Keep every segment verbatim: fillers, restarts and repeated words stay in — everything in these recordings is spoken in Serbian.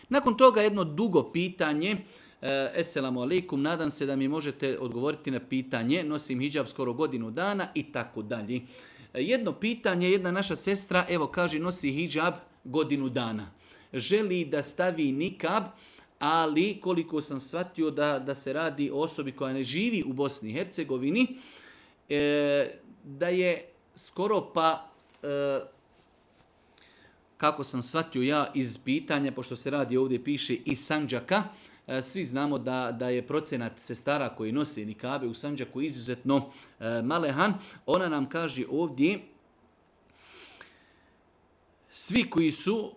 Nakon toga jedno dugo pitanje. Esselamu alaikum, nadam se da mi možete odgovoriti na pitanje. Nosim hidžab skoro godinu dana i tako dalje. Jedno pitanje, jedna naša sestra, evo kaže, nosi hidžab godinu dana. Želi da stavi nikab, ali koliko sam shvatio da, da se radi o osobi koja ne živi u Bosni i Hercegovini, e, da je skoro pa, e, kako sam shvatio ja iz pitanja, pošto se radi ovdje piše iz Sandžaka, e, svi znamo da, da je procenat sestara koji nose nikabe u Sandžaku izuzetno e, malehan. Ona nam kaže ovdje, svi koji su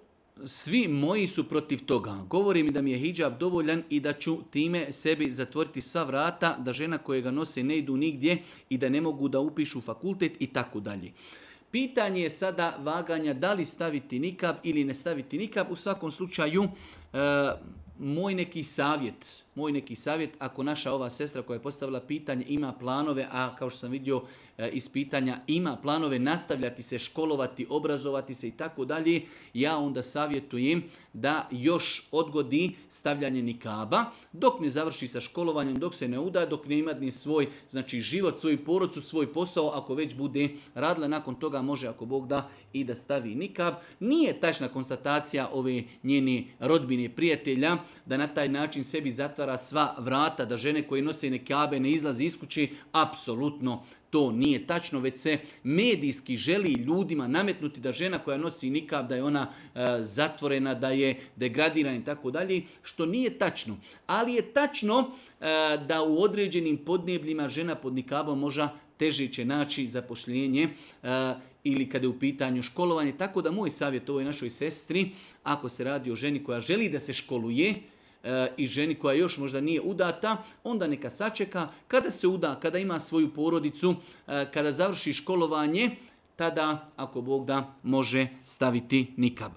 Svi moji su protiv toga. Govori mi da mi je hidžab dovoljan i da ću time sebi zatvoriti sva vrata, da žena koje ga nose ne idu nigdje i da ne mogu da upišu fakultet i tako dalje. Pitanje je sada vaganja da li staviti nikab ili ne staviti nikab. U svakom slučaju, e, moj neki savjet, moj neki savjet, ako naša ova sestra koja je postavila pitanje ima planove, a kao što sam vidio e, iz pitanja, ima planove nastavljati se, školovati, obrazovati se i tako dalje, ja onda savjetujem da još odgodi stavljanje nikaba, dok ne završi sa školovanjem, dok se ne uda, dok ne ima ni svoj, znači život, svoju porodcu, svoj posao, ako već bude radila, nakon toga može, ako Bog da, i da stavi nikab. Nije tačna konstatacija ove njene rodbine, prijatelja, da na taj način sebi zatvara sva vrata, da žene koje nose nikabe ne izlazi iz kuće, apsolutno to nije tačno, već se medijski želi ljudima nametnuti da žena koja nosi nikab, da je ona e, zatvorena, da je degradirana i tako dalje, što nije tačno. Ali je tačno e, da u određenim podnebljima žena pod nikabom može teže će naći zapošljenje e, ili kada je u pitanju školovanje. Tako da moj savjet ovoj našoj sestri, ako se radi o ženi koja želi da se školuje, i ženi koja još možda nije udata, onda neka sačeka. Kada se uda, kada ima svoju porodicu, kada završi školovanje, tada, ako Bog da, može staviti nikab.